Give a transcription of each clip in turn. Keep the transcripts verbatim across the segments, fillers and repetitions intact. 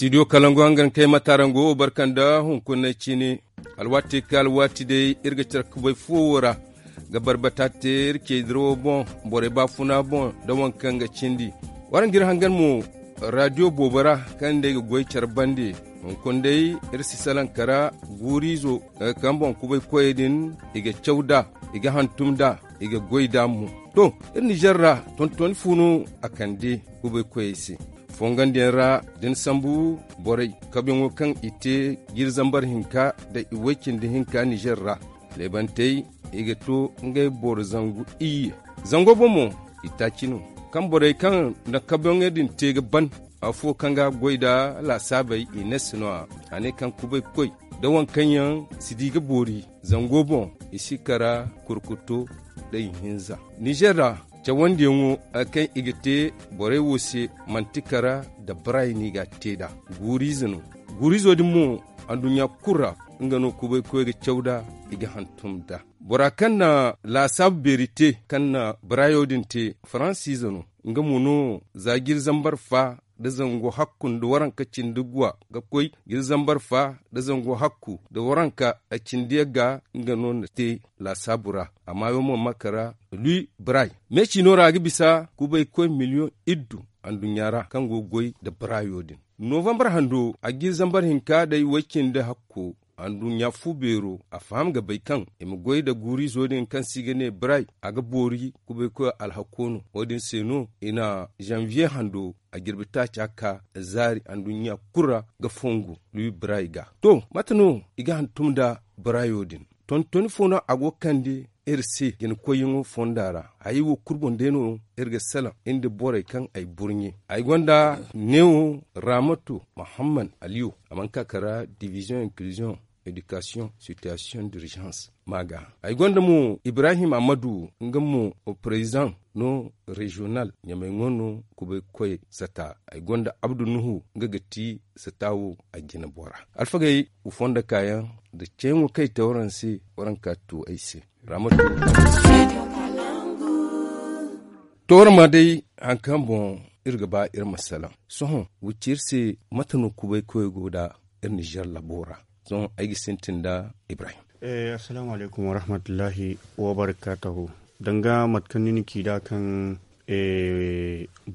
Studio kalangu hangan kay matarango barka nda hunkuna cine. Alwaati ka alwaati day iri ga care kubay fuwo ra ga barbata te iri cey dirawo boŋ, borey baafuna boŋ nda waŋ kaŋ ga cindi. Waraŋ ga iri hangan mo radio boobo ra kaŋ day ga goy care bande. Hunkuna day iri si salaŋ kara guuriizo kaŋ boŋ kubay koyey din i ga caw nd'a, i ga hantum nd'a, i ga goy nd'a mo. To, iri nizer ra tontoni fu no a kande kubay koyey se. Fongandiyaŋ ra da ni sambu borey kabuyaŋo kaŋ i te jiiri zambar hinka nda i way-cindi hinka nizer ra, leebantey i ga to ngey boro zangu iyye. Zango boŋ mo i taaci no kaŋ borey kaŋ na kabuyaŋey din te ga ban. Afo kaŋ ga goy nda laasaabey i ne si no a ne kaŋ kubay koy nda waŋ kaŋ yaŋ si di ga boori zango boŋ, i si kara kurkuto nda ihinza. Nizer ra cawandiyaŋo kaŋ i ga te borey wo se manti kara nda baraay no i ga a te nd'a. Guuriize no. Guuriizo din mo anduɲɲa kulu ra nga no kubay koy ga caw nd'a, i ga hantum nd'a. Bora kaŋ na laasaabu beeri te kaŋ na baraayo din te faransiize no. Nga mo no za jiiri zambar fa nda zangu hakku nda waranka cindi guwa ga koy jiiri zambar fa nda zangu hakku nda waranka a cindi yagga nga no na te laasaabu ra. Amma yaŋ mo ma kara lui baraay meecino ra a ga bisa kubay koy miliyoŋ iddu anduɲɲa ra kaŋ go ga goy nda baraayo din. Novambar hando a jiiri zambar hinka day way-cindi hakko anduɲɲa fu beero a faham ga bay kaŋ i ma goy nda guuriizo din kaŋ se i ga ne baraay a ga boori kubay koy alhako no. Wo- din se no i na zanviye hando a jirbi taaca ka zaari anduɲɲa kulu ra ga fongu lui baraay ga. To, mate no i ga hantum nda baraayo din? Tontoni fo no a go ga kande iri se jinakoyyaŋo fonda ra. Hayey wo kulu boŋ day no iri ga salaŋ iri nda borey kaŋ ay burɲe. Ay gonda neewo ramatu muhammad aliyu a mana ka kara division inclusion, éducation, situation d'urgence ma ga. Ay gonda mo ibrahim amadu nga mo president no regional ɲamay ŋo no kubay koy sata. Ay gonda abdu nuhu nga ga ti sata wo a jina bora. Alfagey, wa fonda kaayaŋ nda ceeyaŋo kaŋ i te waraŋ se waraŋ ka tu ay se. Ramatu. To waraŋ ma day haŋ kaŋ boŋ iri ga ba iri ma salaŋ. Sohõ wa ci iri se mate no kubay koy go nda iri nizer labo ra? Sohõ ay ga sintin nda ibrahim. Assalaamu alaykum warahmatullahi wabarakaatuhu. Danga mate kaŋ ni na ci nd'a kaŋ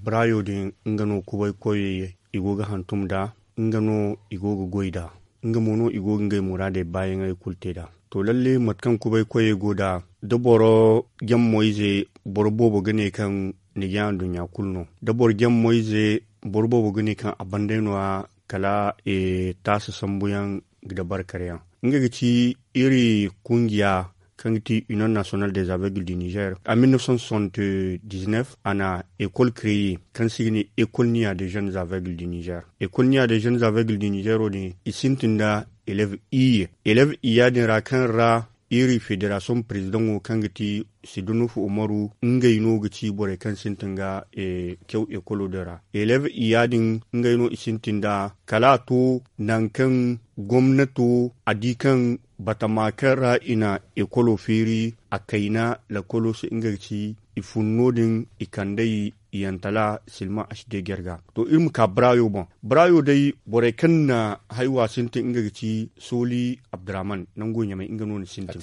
baraayo din nga no kubay koyey i go ga hantum nd'a. Nga no i go ga goy nd'a. Nga mo no i go ga ngey muraadey baayaŋey kulu te nd'a. To lalle mate kaŋ kubay koyey go nd'a, da boro jammoyze boro boobo ga ne kaŋ ni ga anduɲɲa kulu no. Da boro jammoyze boro boobo ga ne kaŋ a banday nooya kala taasa sambuyaŋ ga dabarkaryaŋ. Nga ga ci iri kungiya kaŋ ga ti union national des aveugles du niger a mille neuf cent soixante dix neuf a na école créer kaŋ se i ga ne école niya des jeunes aveugles du niger. École niya des jeunes aveugles du niger wo- din i sintin nda élève iyye. Élève iyya din ra kaŋ ra iri fédération président wo kaŋ ga ti sidunufu umaru ngey no ga ci borey kaŋ sintin ga kyaw école din ra. Élève iyya din ngey no i sintin nda kala a to nangu kaŋ gomnato a di kaŋ batama kaŋ ra i na ekolo feeri a kayna lakolo se nga ga ci i fun no-din i kand'ey i yantala silma h d guerre ga. To iri ma ka barayo boŋ. Barayo day borey kaŋ na haywa sintin nga ga ci soli abdurrahman nango ɲamay nga no na sintin.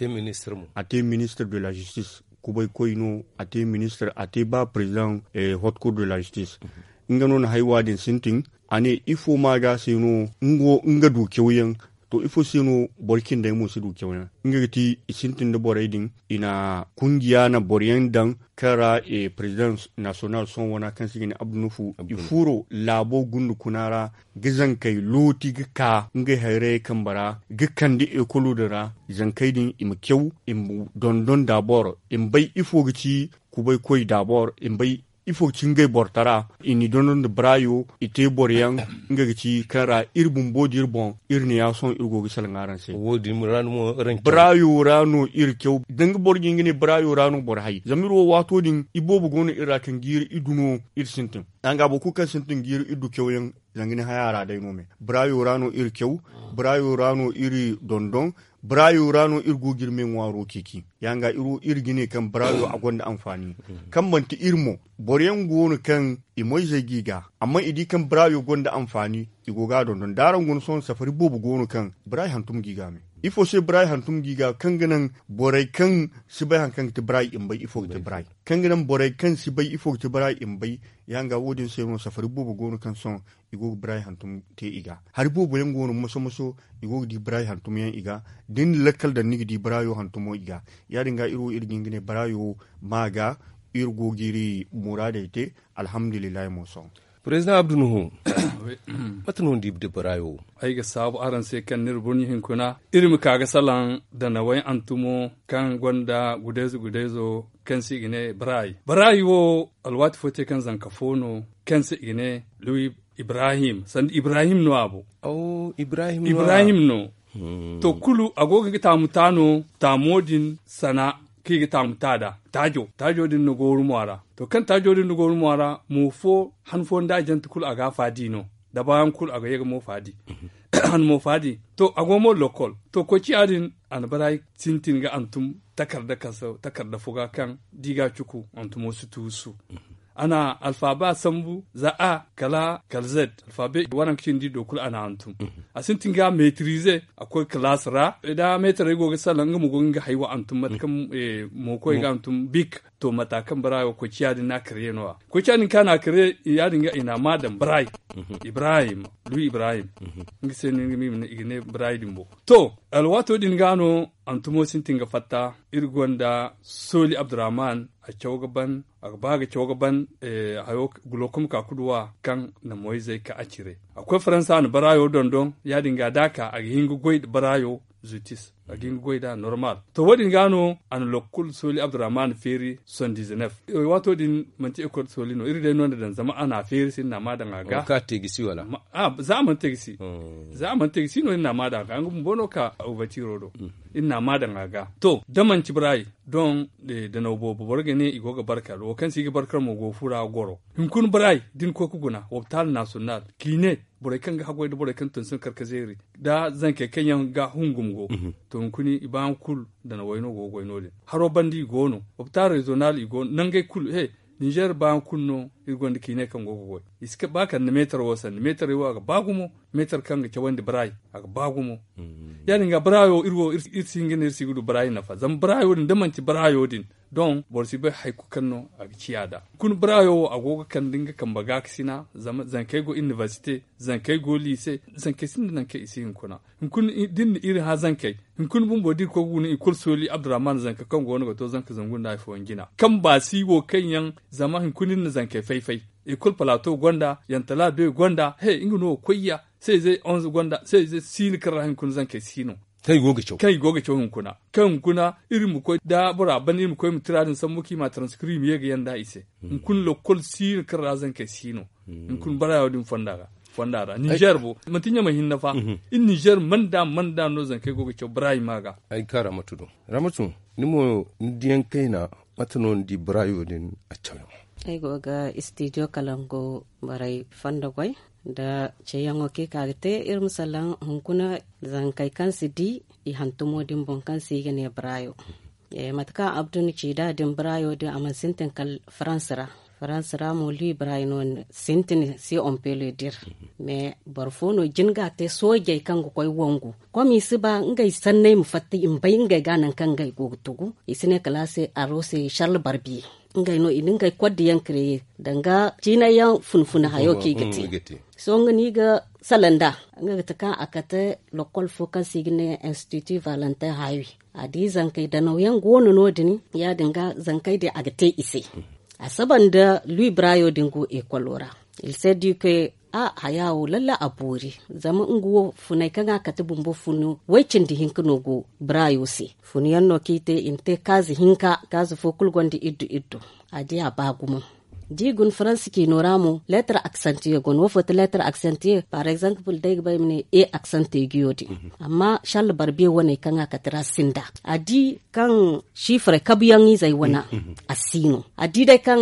A te ministre de la justice kubay koy no a te ministre a te ba président hot cour de la justice. Nga no na haywa din sintin a ne ifo ma ga se no nga du kyawyaŋ. To ifo se no boro cindey mo si du kyawyaŋ nga ga ti i sintin da borey din i na kungiya na boroyaŋ daŋ kaŋ ra président national sohõ wana kaŋ se i ga ne abdu nufu i furo laabo gundu kuna ra ga zankey looti ga ka ngey hayrayey kambe ra ga kande ekolo din ra zankey din i ma kyaw i ma dondon dabor i ma bay ifo ga ci kubay koy dabor i ma bay ifo ga ci ngey bortara i n'i dondon nda barayo i te boroyaŋ nga ga ci kaŋ ra iri bumbo da iri boŋ iri ne ya sohõ iri go ga salaŋ araŋ se. Barayo ra no iri kyaw danga boro ga nga ne barayo ra no boro hay zama iri wo waato din iboobo go no iri ra kaŋ jiiri idu no iri sintin. Danga boro kulu kaŋ sintin jiiri idu kyawyaŋ zanga ni haya ra day no me barayo ra no iri kyaw barayo ra no iri dondon. Baraayo ra no iri go ga iri me ŋwaaro ceeci. Ya- din ga iri wo iri ga ne kaŋ baraayo a gonda anfaani. Kaŋ manti iri mo, boro yaŋ go no kaŋ i moyzey g'i ga, amma i di kaŋ baraayo gonda anfaani, i go ga a dondon da araŋ guna sohõ safari boobo go no kaŋ baraay hantum g'i ga me. Ifo se baraay hantum g'i ga kaŋ ga naŋ borey kaŋ si bay hari kaŋ ga ti baraay i ma bay ifo ga ti baraay kaŋ ga naŋ borey kaŋ si bay ifo ga ti baraay i ma bay. Ya- din ga wo- din se no safari boobo go no kaŋ sohõ i go ga baraay hantum te i ga. Hari boobo yaŋ go no moso moso i go ga di baraay hantum yaŋ i ga. Da ni na lakkal daŋ ni ga di baraayo hantumo i ga. Ya- din ga iri wo iri ga hin ga ne baraayo ma ga iri go ga iri muraadey te. Alhamdulillahi mo sohõ. Président Abdu Nuhu, mate no ni di da baraayo wo? Ay ga saabu araŋ se kaŋ ni iri burɲi hinkuna iri ma ka ga salaŋ danawey hantumo kaŋ gonda gudayze gudayzo kaŋ se i ga ne baraay. Baraay wo alwaati fo te kaŋ zanka fo no kaŋ se i ga ne luwi ibrahim sanda ibrahim no a bo. Ibrahim no. To kulu a go ga nga taamu ta no. Taamo din sana kaŋ i ga taamu ta nd'a taajo taajo din na gooru mo a ra. To kaŋ taajo din na gooru mo a ra mo fo han fo nda a jante kulu a ga a faadi no. Da baayaŋ kulu a ga ye ga mo faadi. Han mo faadi to a go mo lokkol. To koy ciya din a na baraay sintin ga hantum takarda fo ga kaŋ da i ga a cuku hantumo si tuusu. A na alfaaba sambu za a kala kala zed alfaaba waranka cindi do kulu a na hantum. A sintin ga metirize a koy kalaas ra da meetarey go ga salaŋ nga ma go ga nga haywa hantum mate kaŋ mo koy ga hantum bik. To mata kaŋ baraay wo koy ciya din no a kare no- ya koy ciya din kaŋ a na a kare ya- din ga i na a ma daŋ baraay. Ibrahim luwi ibrahim. Nga se no i ga ne baraay din bo. To alwaato din ga no hantumo sintin ga fatta iri gonda sooli abdurrahman a caw ga ban a ga ba ga caw ga ban. Hayo gulokom ka kuduwa kaŋ na moyzey ka a cire a koy faransa a na baraayo dondon ya- din ga da a ka a ga hin ga goy nda baraayo zutis a ga hin ga goy nd'a normal. To wo- din ga no a na lokkol sooli abdurrahman feeri soixante-dix-neuf. Waato din manti ekol sooli no iri day no nda daŋ zama a na a feeri se iri na a ma daŋ a ga. Za a mana te ga si no iri na a ma daŋ a ga nga bumbo no ka ovatiro do. Iri na a ma daŋ a ga to da manti baraay doŋ. Danaw boobo boro ga ne i go ga barkar wo kaŋ se i ga barkar mo go ga fura goro. Hunkuna baraay da ni koy ga guna wopitaal nasiyonal k'i ne borey kaŋ ga haggoy nda borey kaŋ tonton karkazeeri nda zankey kaŋ yaŋ ga hungum go. To hunkuna i baayaŋ kulu danawey no go ga goy no- din haro banda i go no. Wopitaal rezonal i go no nangey kulu he ninzeer baayaŋ kulu no. Iri gonda k'i ne kaŋ go ga goy i si ba kala ni meetar wo sanda meetarey wo a ga ba gumo. Meetar kaŋ ga cawandi baraay a ga ba gumo. Ya- din ga baraayo iri wo iri si hin ga ne iri si ga du baraayo nafa zama baraayo din da manti baraayo din doŋ boro si bay hari kulu kaŋ no a ga ciya nd'a. Hunkuna baraayo wo a go ga kande nga kambe gaakasina zama zankey go inibersite, zankey go liise, zankey sinda nangu kaŋ i si hunkuna. Hunkuna da iri na iri hã zankey hunkuna bumbo da iri koy ga guna i kulu sooli abdurrahman zanka kaŋ go no ga to zanka zangu nda hari fooyaŋ jina kaŋ baasi wo kaŋ yaŋ zama hunkuna iri na zankey fay-fay. Ekol palato gonda yantala be gonda he nga no ga koy ya. Seize onze gonda seize siino kaŋ ra hunkuna zankey siino. Kaŋ i go ga caw hunkuna kaŋ hunkuna iri ma koy da bora ban iri ma koy ma tira din sambu kaŋ i ma a taransikiri i ma ye ga yanda i se. Hunkuna lokkol siino kaŋ ra zankey siino. Hunkuna barayo din fonda ra ninzeer bo manti ɲamay hinne fa. Iri ninzeer manda manda no zankey go ga caw barayi ma ga. Ay ga ka ramatu do ramatu ni mo ni diyaŋ kayna mate no ni di barayo din a cawyaŋo? Ay go ga istidiyo kalango borey fondo goy nda ceeyaŋo kaŋ i ka ga te iri ma salaŋ hunkuna zankey kaŋ si di i hantumo din boŋ kaŋ se i ga ne barayo. Mate kaŋ abdu na ci nd'a din barayo din a mana sintin kala farans ra. Farans ra mo lui barayo no sintin si on pele dir. Mais boro fo no jin ga a te soojey kaŋ ga koy wangu kom i si ba ngey sanney ma fatta i ma bay ngey ga nangu kaŋ ngey go ga tugu. I si ne kala a se aro se charles barbiye ngey no i na ngey koddiyaŋ kreye danga ciinayyaŋ funfuna hayo kaŋ i ga te. Sohõ nga no i ga salaŋ nd'a nga ga ti kaŋ a kate lokkol fo kaŋ se i ga ne institut valentin hawi. A di zankey danawyaŋ go no no- din ya- din ga zankey din a ga te i se. A saba nda lui barayo din go ekolo ra. Il se di ke a haya wo lalle a boori. Zama nga wo funey kaŋ a kate bumbo funu way cindi hinka no go barayo se. Funuyaŋ no kaŋ i te i na te kaazi hinka kaazi fo kulu gonda iddu iddu. A di a ba gumo da i guna faransa ciino ra mo leetar aksantiye go no wo fo ti leetar aksantiye par exemple da ay ga ba ay ma ne e aksantiye guyo din. Amma charles barbiye wane kaŋ a kate ra sinda a di kaŋ sifre kabuyaŋ izey wane a si no a di day kaŋ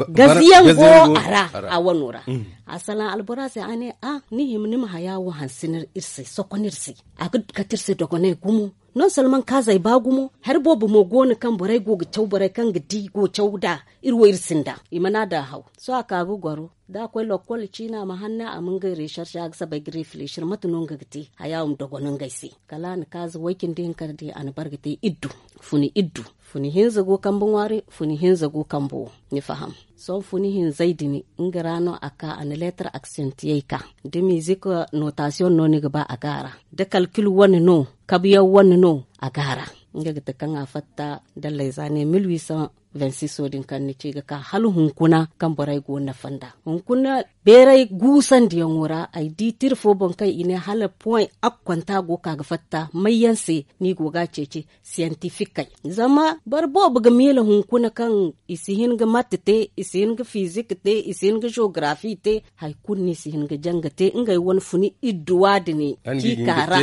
gaziyaŋ go a ra. A wano ra a salaŋ albora se a ne a ni hima ni ma haya wo hanse iri se sokon iri se a ga kate iri se dogonay gumo. Non solman kaazey ba gumo hari boobo mo go no kaŋ borey go ga caw borey kaŋ ga di go caw nd'a. Iri wo iri sinda i mana daŋ haw. Sohõ a ka ga goro da a koy lokkol ciina a ma hanna a ma ngey reeserse a ga sabay ga refilesir mate no nga ga te. Haya wo ma dogon ngey se kala a na kaaza way-cindi hinka din a na bare ga te iddu. Funi iddu funi hinza go kambe ŋwaari funi hinza go kambe wo. Ni faham? Sohõ funi hinzey din nga ra no a ka a na leetar aksiyantiyey ka da mizik notasiyoŋ no ni ga ba a go a ra da kalkil wane no kabuyaŋ wane no a go a ra. Nga ga te kaŋ a fatta dalley za ne mil huit cent vingt-six wo din kaŋ ni ci ga ka hala hunkuna kaŋ borey go nafa nd'a hunkuna beeray guusandiyaŋo ra ay di tira fo boŋ kaŋ i ne hala poy akkwanta go ka ga fatta mayyaŋ se no i go ga a ceeci siyantifikey. Zama boro boobo ga miila hunkuna kaŋ i si hin ga matte te i si hin ga fizik te i si hin ga jogarafi te. Hari kulu no i si hin ga janga te ngey wane funi idduwa din. Ciika ra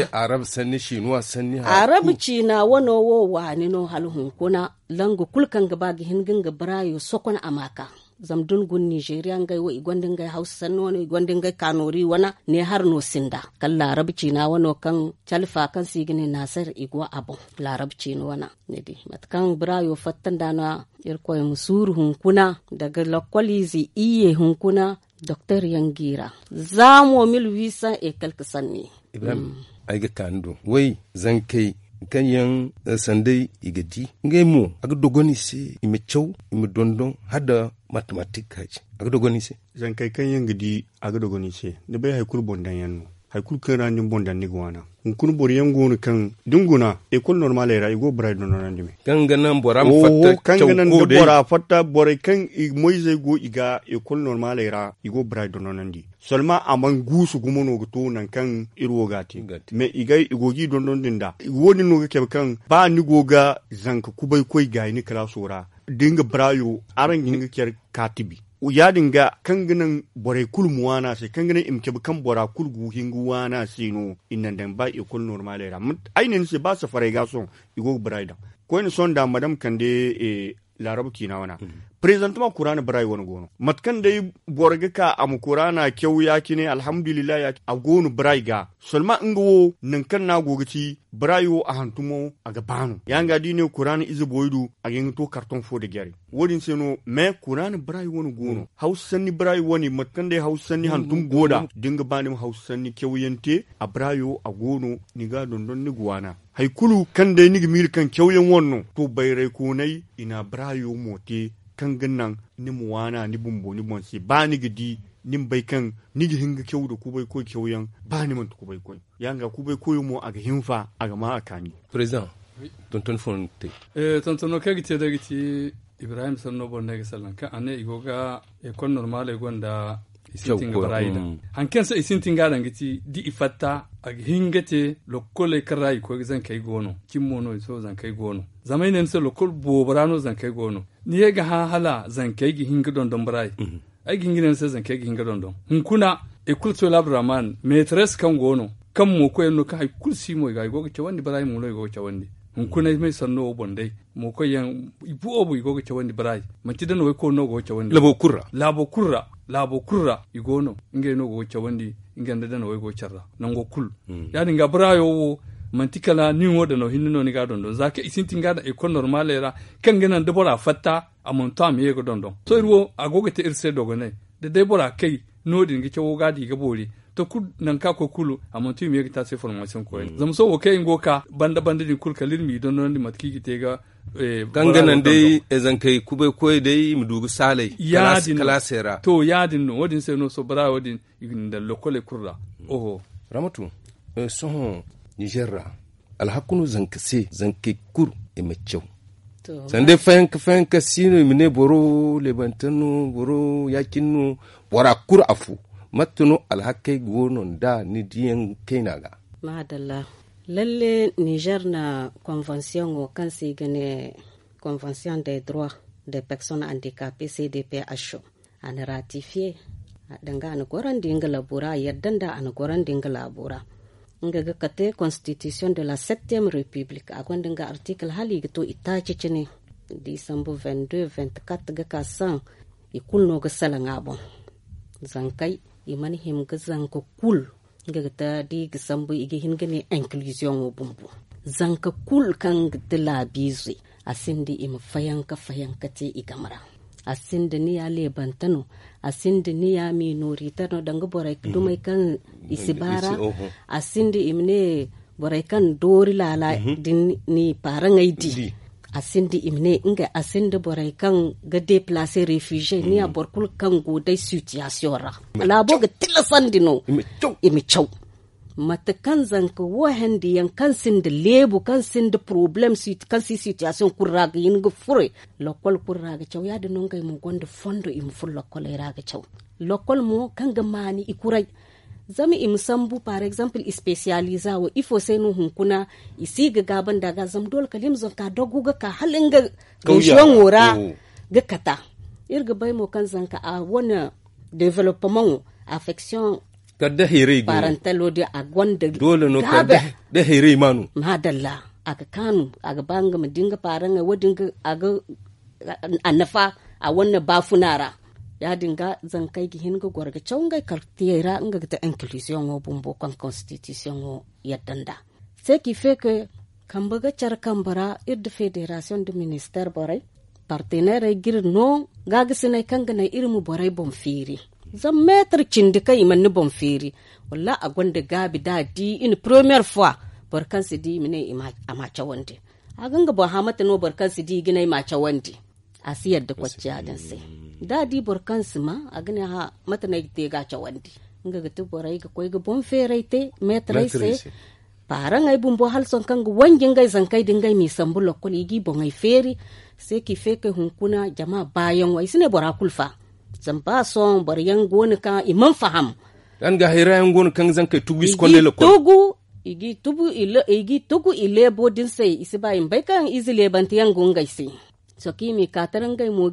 arabu ciina wano wo waani no hala hunkuna. Langu kulu kaŋ ga ba ga hin ga nga baraayo sokon a ma ka. Zama da ni guna nizeeriya ngey wo i gonda ngey hawsa sanni wano i gonda ngey kaanoori wana ne hari no sinda kala laarabu ciina wano kaŋ calfa kaŋ se i ga ne naasar i go a boŋ. Laarabu ciina wana ni di mate kaŋ baraayo fatta nd'a no. Irkoy ma suuru hunkuna daga lokkoliize iyye hunkuna. Doktor yaŋ g'i ra za mo mil huit cent ekal ga sanni. Ibrahim, ay ga ka ni do way zankey kaŋ yaŋ sanday i ga di ngey mo a ga dogon i se i ma caw i ma dondon hala nda matematik haji a ga dogon i se. Zankey kaŋ yaŋ ga di a ga dogon i se ni bay hari kulu boŋ daŋ yaŋ no. Hari kulu kaŋ ra ni boŋ daŋ ni ga waana hunkuna boro yaŋ go no kaŋ da ni guna ekol normaley ra i go ga baraay dondonandi me. Kaŋ ga naŋ bora ma fatta kaŋ ga naŋ da bora fatta borey kaŋ i moyzey go i ga ekol normaley ra i go ga baraay dondonandi. Solma a mana guusu gumo no ga to nangu kaŋ iri wo ga a te. Mais i go ga i dondon din da wo- din no ga cabe kaŋ ba ni go ga zanka kubay koy gaayi ni kalaaso ra da nga baraayo araŋ ga hin ga care kaatibi. Ya- din ga kaŋ ga naŋ borey kulu ma waani a se kaŋ ga naŋ i ma cabe kaŋ bora kulu ga hin ga waani a se no. I naŋ daŋ ba ekol normaley ra ay ne ni se ba safarey ga sohõ i go ga baraayo daŋ. Koyne sohõ nda madam kande laarabu ciina wana. Prezantama kuraana baraay wane go no mate kaŋ day boro ga ka a ma kuraana caw ya- cine alhamdulillahi ya- cine a go no baraay ga. Solma nga wo nangu kaŋ no a go ga ci baraay wo a hantumo a ga ba no ya- nga da i ne kuraana ize boy du a ga hin ga to kartoŋ fo nda jare. Wo- din se no mais kuraana baraay wane go no hawsa sanni baraay wane mate kaŋ day hawsa sanni hantum go nd'a da ni ga ba ni ma hawsa sanni cawyaŋ te a baraayo a go no. Ni ga a dondon ni ga waana hari kulu kaŋ day ni ga miila kaŋ cawyaŋ wane no to bayraykoonay i na a baraayo mo te. Kaŋ ga naŋ ni ma waana ni bumbo ni boŋ se ba ni ga di ni ma bay kaŋ ni ga hin ga caw nda kubaykoy cawyaŋ ba ni manti kubaykoy. Ya- nga kubaykoyo mo a ga hinfa a ga ma a kaani. President, tonton fo no ni ga te? Tontono kaŋ ay ga te day ga ci ibrahim sanno boŋ no ay ga salaŋ kaŋ a ne i go ga ekol normaley gonda i sintin ga barayi da. Hari kaŋ se i sintin ga daŋ ga ci da i fatta a ga hin ga te lokkoley kaŋ ra i koy ga zankey go no cimi mo no i sohõ zankey go no. Zama ay ne ni se lokkol boobo ra no zankey go no. Ni ye ga hã hala zankey ga hin ga dondon barayi. Ay ga hin ga ne ni se zankey ga hin ga dondon hunkuna. Ekol sohõ laabdurahman meeteres kaŋ go no kaŋ mo koyyaŋ no kaŋ hari kulu si mo i ga i go ga cawandi barayi mo no i go ga cawandi. Hunkuna ay may sanno wo boŋ day mo koyyaŋ i boobo i go ga cawandi barayi. Manti da no way koy no go ga cawandi laabo kulu ra. Laabo kulu ra i go no ngey no go ga cawandi. Ngey nda da no way go ga care ra nango kulu. Ya- din ga barayo wo manti kala nin wo da no hinne no ni ga a dondon za kaŋ i sintin ga daŋ ekol normaley ra kaŋ ga naŋ da bora fatta a mana to a ma ye ga dondon. To iri wo a go ga te iri se dogonay da day bora kay no- din ga cawo ga di ga boori. To kulu nangu kaŋ a koy kulu a mana to i ma ye ga te a se formasiyoŋ koyne zama sohõ wo kaŋ iri go ga ka banda banda din kulu kala iri m'i dondonandi mate kaŋ i ga te ga kaŋ ga naŋ day zankey kubay koy day i ma du ga saalay kalaasey ra. To ya- din no wo- din se no sohõ barayo din i ga ni daŋ lokoley kulu ra. Oho. Ramatu, sohõ nizer ra alhaku no zanka se zankey kulu i ma caw. Sanda day fayanka fayanka si no i ma ne boro leebante no boro ya- cine no bora kulu afo. Mate no alhakey go no nd'a ni diyaŋ kayna ga? Maadalla. Lalle nizer na konvansiyoŋo kaŋ se i ga ne konvansiyoŋ de droit de personne handicapée c d p h o. A na ratifiye danga a na gorandi nga laabo ra a yadda nda a na gorandi nga laabo ra. Nga ga kate konstitisiyoŋ de la septième république a gonda nga artikil hala i ga to i taaci cine. Disambu vingt deux vingt quatre ga ka saŋ i kulu no ga salaŋ a boŋ. Zankey i mana hima ga zanka kulu nga ga ta da i ga sambu i ga hin ga ne inkiliziyoŋo bumbo. Zanka kulu kaŋ ga ti laabiize, a sinda i ma fayanka fayanka te i game ra. A sinda ni ya leebante no, a sinda ni ya minorite no danga borey ga dumey kaŋ i si baara. A sinda i ma ne borey kaŋ doori laala din ni paaraŋey di. A sinda i ma ne ngey a sinda borey kaŋ ga deplacer refuge ni ya boro kulu kaŋ go day sitiyasiyoŋ ra. Laabo ga tilasandi no i ma caw. Mate kaŋ zanka wo hendiyaŋ kaŋ sinda leebu kaŋ sinda porobalem kaŋ si sitiyasiyoŋ kulu ra ga hin ga furo. Lokol kulu ra ga caw ya- din no ngey mo gonda fondo i ma furo lokoley ra ga caw. Lokol mo kaŋ ga maani i kuray. Zama i ma sambu par exemple i spesiyaliza wo ifo se no hunkuna i si ga gaaba nda ga zama doole kala i ma zanka dogu ga ka hala nga reziyoŋo ra ga kata. Iri ga bay mo kaŋ zanka a wane developemaŋo afeksiyoŋ kala da hayray go parantalo din a gonda doole no kala da hayray ma no. Maadalla. A ga kaanu a ga ba nga ma di nga paaraŋey wo- din a ga a nafa a wane baafuna ra. Ya- din ga zankey ga hin ga goro ga caw ngey kartiyey ra nga ga te inkilisiyoŋo bumbo kaŋ konstitisiyoŋo yadda nd'a. Se ki fe ke kambe ga care kambe ra iri nda federasiyoŋ nda ministeer borey parteneerey ga iri no gaagasiney kaŋ ga naŋ iri ma borey boŋ feeri. Zama meetar cindi kaŋ i mana ni boŋ feeri wallaahi a gonda gaabi da a di i na poromiyeer fuwa boro kaŋ si di i ma ne a ma cawandi. A ga nga boŋ hã mate no boro kaŋ si di i ga ne ay ma a cawandi. A si yadda kocciya din se da a di boro kaŋ si ma a ga ne hã mate no ay ga te ga a cawandi. Nga ga ti borey ga koy ga boŋ feeray te meetarey se. Paaraŋey bumbo hala sohõ kaŋ ga wanji ngey zankey din ngey m'i sambu lokkol i g'i boŋey feeri. Se k'i feekey hunkuna jama baayaŋo ay si ne bora kulu fa. Zama ba sohõ boro yaŋ go no kaŋ i mana faham. Yaŋ ga hayra yaŋ go no kaŋ ga zankey tugu i si kondey lokkol. I g'i tugu i tugu i leebo din se i si ba i ma bay kaŋ ize leebante yaŋ go ngey se. Sohõ kaŋ i m'i ka tara ngey mo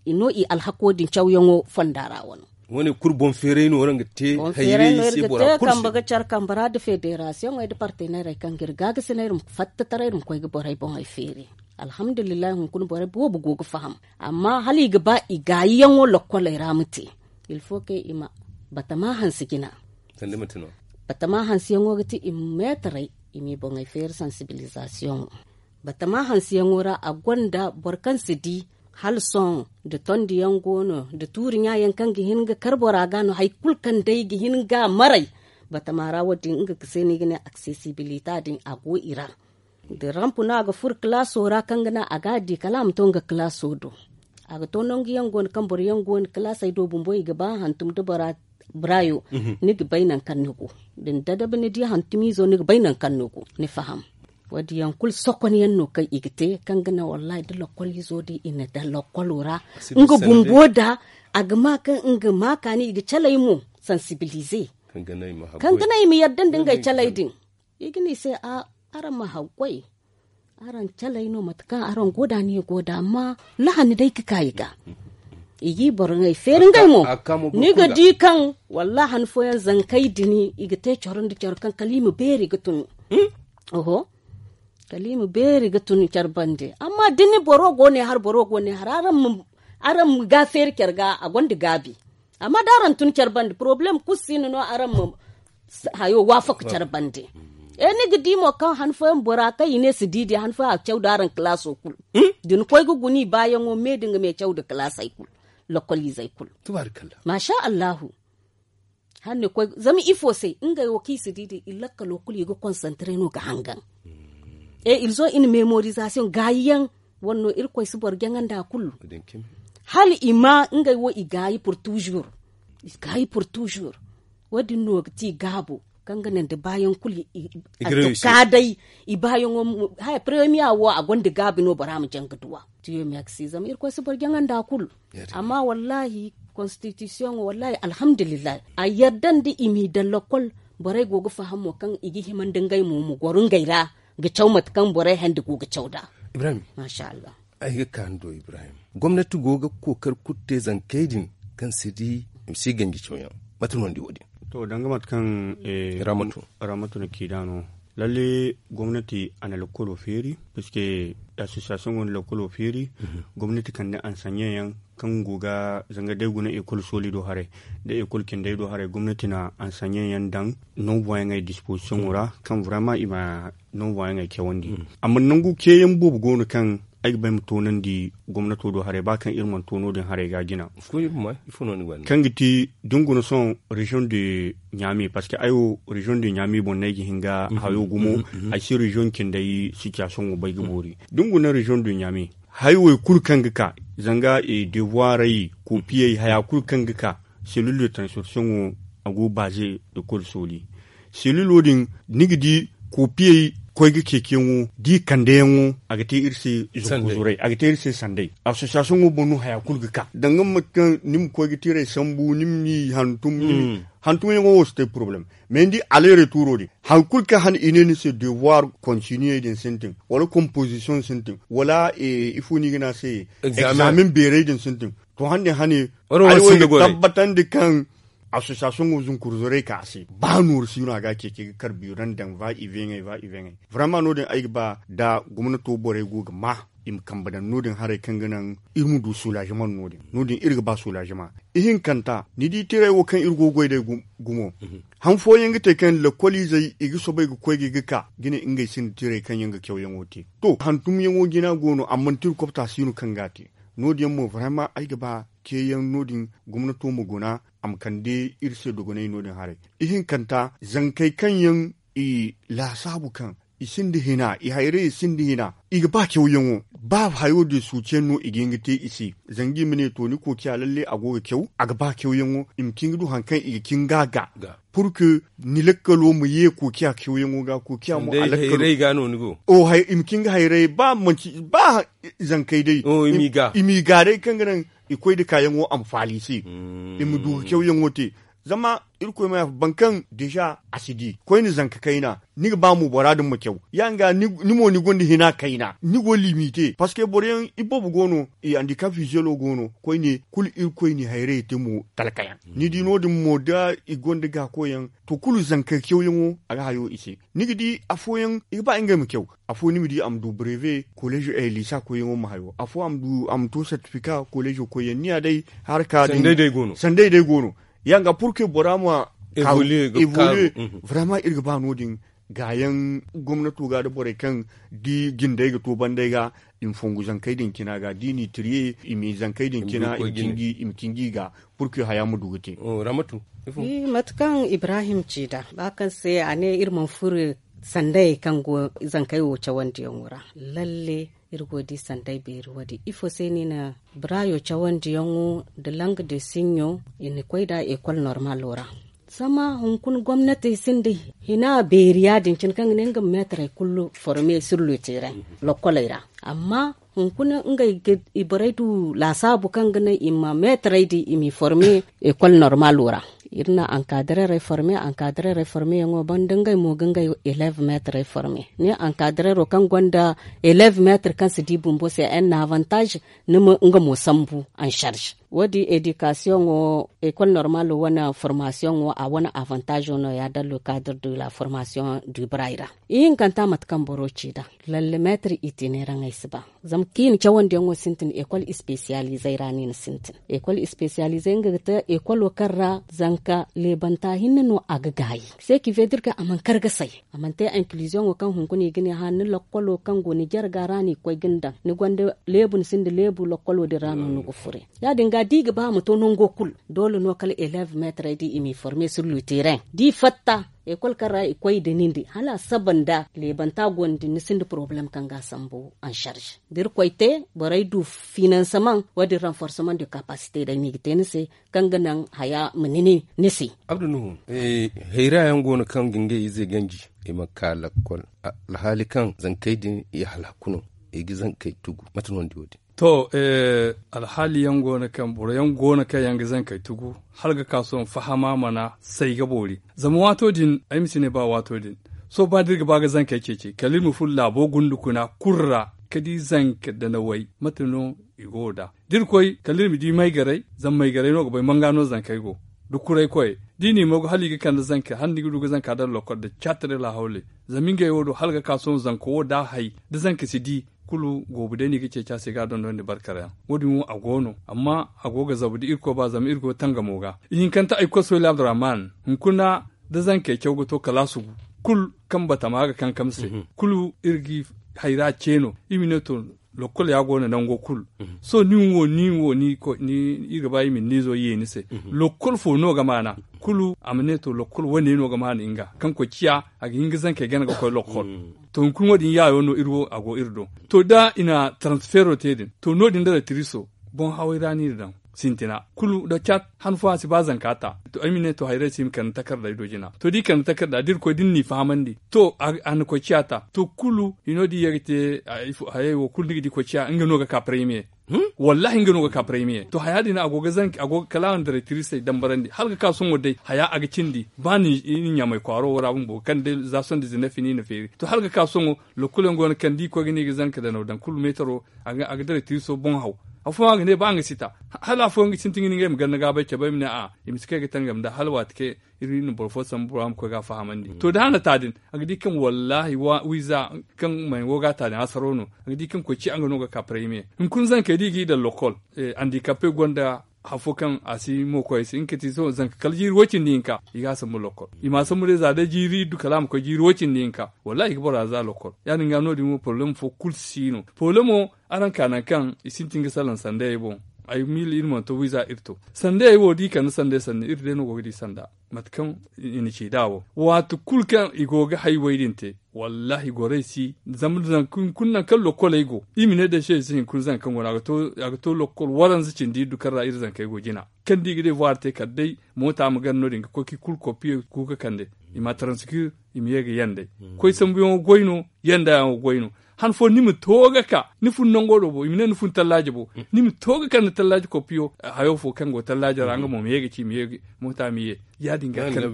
i no i alhako din cawyaŋo fonda ra wano. Wane kulu boŋ feeray no waraŋ ga te hayray se bora kulu se. Kambe ga care kambe ra nda federasiyoŋey nda parteneerey kaŋ ga iri gaagasinay iri ma fatta taray iri ma koy ga borey boŋey feeri. Alhamdulillahi hunkuna borey boobo go ga faham. Amma hala i ga ba i gaayiyaŋo lokkoley ra ma te. Ilfo kaŋ i ma batama hansi jina. Batama hansiyaŋo ga ti i ma meetaray i m'i boŋey feeri sansibilizasiyoŋo. Batama hansiyaŋo ra a gonda boro kaŋ si di hala sohõ nda tondiyaŋ go no nda tuuri ɲaayaŋ kaŋ ga hin ga kar bora ga no hari kulu kaŋ day ga hin ga maray. Batama ra wo- din nga ga se no i ga ne aksesibilita din a go i ra. Da rampu no a ga furo kalaaso ra kaŋ ga naŋ a ga a di kala a ma to nga kalaaso do. A ga to nangu yaŋ go no kaŋ boro yaŋ go no kalaasey do bumbo i ga ba hantum da bora burayo. Ni ga bay nangu kaŋ ni go da ni dadabi ni di hantumiizo ni ga bay nangu kaŋ ni go ni faham. Wo- din yaŋ kulu sokon yaŋ no kaŋ i ga te kaŋ ga naŋ wallaahi da lokkol izo din i na daŋ lokkolo ra nga bumbo da a ga ma kaŋ nga ma kaani i ga calay mo sansibilize kaŋ ga naŋ i ma yadda nda ngey calay din. I ga ne i se a araŋ ma haggoy araŋ calay no mate kaŋ araŋ go da ni go da amma lahani day ga ka i ga i g'i boro ŋey feeri ngey mo. Ni ga di kaŋ wallaahi han fooyaŋ zankey din i ga te coro nda coro kaŋ kala i ma beeri ga tun. Oho. Kala i ma beeri ga tun care bande amma da ni boro go ne har boro go ne har araŋ ma ga feeri care ga a gonda gaabi. Amma da araŋ tun care bande porobalem kulu si no no araŋ ma hayo waafaka care bande. E ni ga di mo kaŋ han fooyaŋ bora kaŋ i ne si di di han fooyaŋ a ga caw da araŋ kalaaso kulu da ni koy ga guna i baayaŋo me da nga me caw da kalaasey kulu lokkol izey kulu. Maasa allahu. Zama ifo se ngey wo kaŋ i si di din i lakkalo kulu i ga konsantre no ga hangan. E iri zo i na memorizasiyoŋ gaayi yaŋ wane no irkoy si boro jaŋandi a kulu. Hala i ma ngey wo i gaayi pur tuzur. I gaayi pur tuzur. Wo- din no ga ti gaabo kaŋ ga naŋ da baayaŋ kulu a ga ka day. I baayaŋo haya paremiya wo a gonda gaabi no bora ma jaŋ ga duwa. Tiyo meeksi zama irkoy si boro jaŋandi a kulu. Amma wallaahi konstitisiyoŋo wallaahi alhamdulillahi a yadda nda i m'i daŋ lokkol. Borey go ga faham mo kaŋ i ga hima nda ngey mo ma goro ngey ra ga caw mate kaŋ borey hande go ga caw nd'a. Maasa allah. Ay ga ka ni do ibrahim gomnati go ga kookari kulu te zankey din kaŋ si di i ma si ganji cawyaŋ. Mate no ni di wo- din? To danga mate kaŋ ramatu na ci nd'a no. Lalle, gomnati a na lakkolo feeri, puisque association go na lakkolo feeri. Gomnati kande ansanyen yaŋ kaŋ go ga zanga day guna ekol sooli do haray, da ekol cindey do haray, gomnati na ansanyen yaŋ daŋ non voyaŋey disposition ra, kaŋ vraiment i ma non voyaŋey cawandi. Amma nangu ceeyaŋ boobo go no kaŋ ay ga bay ma toonandi gomnato do haray, ba kaŋ iri mana toono din haray ga jina. Kaŋ ga ti da ni guna sohõ region de ɲaami, parce que ay wo region de ɲaami boŋ no ay ga hin ga hayo gumo. Ay si region cindey situation wo bay ga boori da ni guna region de ɲaami. Hay wo kulu kaŋ ga ka, zanga devoirey, kopiyey, haya kulu kaŋ ga ka, selil de transmission wo, a go baaze da kol sooli. Selilo din, ni ga di kopiyey koy ga ceeciyaŋo da i kandeyaŋo, a ga te iri se zanku zuray, a ga te iri se sanday. Association wo boŋ no haya kulu ga ka danga mate kaŋ ni ma koy ga tiray sambu, ni ma ni hantum hantumyaŋo wo si te problème. Mais ni di alere tuuro din, hari kulu kaŋ hane i ne ni se devoir continue din sintin, wala composition sintin, wala ifo no i ga ne a se, examen beerey din sintin. To hande hane, ay wo ga tabbatandi kaŋ association wo zunkurzorey ka a se, ba nooru si no a ga a ceeci ga kar biiran daŋ va iveŋey va iveŋey. Vraiment no- din ay ga ba da gomnato borey go ga ma i ma kambe daŋ no- din haray kaŋ ga naŋ iri ma du soulagement no- din. No- din iri ga ba soulagement. Ihinkanta, ni di tiray wo kaŋ iri go ga goy day gumo, han fooyaŋ ga te kaŋ lakkoliizey i ga soobay ga koy ga ga ka ga ne ngey sinda tiray kaŋ yaŋ ga cawyaŋo te. To hantumyaŋo jina go no amma nda iri kopta si no kaŋ ga a te. No- din yaŋ mo vraiment ay ga ba ceeyaŋ no- din gomnato ma guna, a ma kande iri se dogonay no- din haray. Ihinkanta, zankey kaŋ yaŋ i laasaabu kaŋ i sinda hina, i hayray i sinda hina, i ga ba cawyaŋo. Ba hayo din suuce no i ga hin ga te i se, zanga i ma ne to ni kookiya lalle a go ga caw, a ga ba cawyaŋo, i ma cin ga du hari kaŋ i ga cin ga a ga. Pour que ni lakkalo ma ye kookiya cawyaŋo ga, kookiya mo a lakkalo i ma cin ga hayray ba manci ba zankey day, i m'i ga day kaŋ ga naŋ i koy nda kaayaŋo a ma faala i se, i ma du ga cawyaŋo te. Zama irkoy ma yaafa boro kaŋ déjà a si di koyne zanka kayna, ni ga ba mo bora din ma caw ya- din ga ni mo ni gonda hina kayna ni go limite parce que boro yaŋ iboobo go no, i handicap visuelo go no koyne kulu irkoy n'i hayray te mo talka yaŋ. Ni di no- din mo da i gonda gaakoyaŋ, to kulu zanka cawyaŋo a ga hayo i se. Ni ga di afooyaŋ i ga ba ngey ma caw, afo ni ma di a ma du breve kolleezo liisa koyyaŋo ma hayo, afo a ma du a ma to sertifika kolleezo koyyaŋ ni ya day. Haraka din sanday day go no. Ya- din ga pour que bora ma evoluer. Vraiment iri ga ba no- din gaayaŋ gomnato ga nda borey kaŋ di jindey ga to banday ga, i ma fongu zankey din cina ga da i n'i tiriye i ma zankey din cina i ma cinji i ga, pour que haya ma du ga te. Mate kaŋ ibrahim ci nd'a ba kaŋ se a ne iri mana furo sandayey kaŋ go zankey wo cawandiyaŋo ra, lalle iri go ga di sanday beeri wo- din ifo se no i na barayo cawandiyaŋo nda lang de sinyo i na koy nd'a ekol normalo ra. Zama hunkuna gomnatey sinda hina beeri ya- din cine kaŋ ga ne nga ma meetarey kulu forme sur le terrain lokkoley ra. Amma hunkuna ngey ga i borey du laasaabu kaŋ ga naŋ i ma meetarey din i m'i forme ekol normalo ra. Iri na ankadirerey forme ankadirerey forme yaŋo banda ngey mo ga ngey eleeve meetarey forme. Ni ankadirero kaŋ gonda eleeve meetar kaŋ si di bumbo se en na avantage ni ma nga mo sambu en charge. Wo- din edikasiyoŋo ekol normalo wane formasiyoŋo a wane avantazo no- ya dans le cadre de la formation du bray ra. Ihinkanta mate kaŋ boro ci nd'a, lalle meetar itineraŋey si ba. Zama kiina cawandiyaŋo sintin ekol spesiyalizey ra no i na sintin. Ekol spesiyalizey nga ga te ekolo kaŋ ra zanka leebanta hinne no a ga gaayi. Se ki vedir kaŋ a mana kar ga say, a mana te inkiliziyoŋo kaŋ hunkuna i ga ne hã ni lokkolo kaŋ go ni jarga ra no i ga koy ga ni daŋ ni gonda leebu ni sinda leebu lokkolo din ra no ni ga fure. Ya- din ga da i ga ba a ma to nango kulu, doole no kala eleeve meetarey din i m'i forme sur le terrain da i fatta ekol kaŋ ra i koy nda nin din hala a saba nda leebanta go no din ni sinda porobalem kaŋ ga a sambu en charge. Da irkoy te borey du finanseman wo- din ranforseman de kapasite day no i ga te ni se, kaŋ ga naŋ haya ma nini ni se. Abdu nuhu, hayra yaŋ go no kaŋ ga ngey ize ganji i ma ka lakkol, alhaali kaŋ zankey din i halaku no, i ga zankey tugu. Mate no ni di wo- din? To, alhaali yaŋ go no kaŋ boro yaŋ go no kaŋ yaŋ ga zankey tugu, hala ga ka sohõ fahama mana say ga boori. Zama waato din ay ma si ne ba waato din, sohõ ba da iri ga ba ga zankey ceeci kala iri ma furo laabo gundukuna kulu ra, ka di zanka danawey mate no i go nd'a. Da iri koy kala iri ma di maygaray, zama maygaray no ga bay manga no zankey go, da kuray koyey. Da i n'i moogu hala i ga kande zanka hala ni ga du ga zanka daŋ lokol da caatare laahawley. Zama ngey wo do hala ga ka sohõ zanka wo da a hay da zanka si di kulu goobu day no i ga ceeci a se ga a dondonandi barkara yaŋ. Wo- din wo a go no amma a go ga zabu da irkoy ba zama iri go tangamo ga. Ihinkante ay kosoy labdurahman hunkuna da zankey caw ga to kala a sugu kulu kaŋ batama ga kankam se kulu iri ga hayra ce no. Iri ma ne to lokol ya go no nango kulu. Sohõ nin wo nin wo iri ga ba iri ma ni niizo ye ni se. Lokol fo no ga maana kulu a ma ne to lokol wane no ga maana nga kaŋ koy ciya a ga hin ga zankey gana ga koy lokol. To hunkuna wo- din yaayo no iri wo a go iri do. To da i na transfero te din to no- din da retriso boŋ haway ra no iri daŋ sintina kulu da caat han fooyaŋ a si ba zanka ta. To ay ma ne to hayray se i ma kande takarda i do jina to da i kande takarda da iri koy da ni n'i fahamandi to a na koy ciya ta to kulu hino da i ye ga te hayey wo kulu ni ga di koy ciya nga no ga ka paraymiye. Wallahi nga no ga ka paraymiye to haya din a go ga zanki a go ga kala a na daray tirisey dambarandi hala ga ka sohõ day haya a ga cindi ba ni ɲamay kwaaro wo ra bumbo kaŋ day za sohõ dizinef ni na feeri to hala ga ka sohõ. Lokol yaŋ go no kaŋ da i koy ga ne i ga zanka danaw daŋ kulu meetaro a ga daray tiriso boŋ haw. Afooyaŋ a ga ne ba nga si ta hala afooyaŋ ga sintin ga ne ngey ma ganda gaabay cabe ay ma ne a i ma si kay ga tangam nda hala waati kaŋ iri na boro fo sambu bora ma koy ga a fahamandi to da a na ta din a ga di kaŋ wallahi wiiza kaŋ may go ga a ta din hasaro no. A ga di kaŋ koy ci a nga no ga ka paraymiye hunkuna zankey da i ga i daŋ lokol andikape gonda. Hafo kaŋ a si mo koy ay se nga kati sohõ zanka kala jiiri woy cindi hinka i ga a sambu lokol i ma a sambu day za day jiiri iddu kala a ma koy jiiri woy cindi hinka. Wallahi i ga bora za lokol ya- din ga no- din wo poroblem fo kulu si no poroblemo. Araŋ ka naŋ kaŋ i sintin ga salaŋ sandayey boŋ ay miila iri mana to wiiza iri to sandayey wo da i kande sanday sanni iri day no go ga di sanda mate kaŋ i na ci nd'a wo. Waati kulu kaŋ i go ga haywey din te wallahi gorey si zama zanka hunkuna naŋ kaŋ lokoley go i ma ne day se i si hinkuna zanka kaŋ go no a ga to lokol waranza cindi iddu kaŋ ra iri zankey go jina kaŋ da i ga devoir te kala day moota ma gana no- din ga koy kaŋ i kulu kopiye kuuka kande i ma taransikir i ma ye ga yandey. Koy sambuyaŋo goy no yandayaŋo goy no. Han fo ni ma to ga ka ni fun nango do bo i ma ne ni fun tallaaje bo ni ma to ga kande tallaaje kopiyo hayo fo kaŋ go tallaaje ra nga mo ma ye ga ci ma ye ga moota ma ye. Ya- din ga kande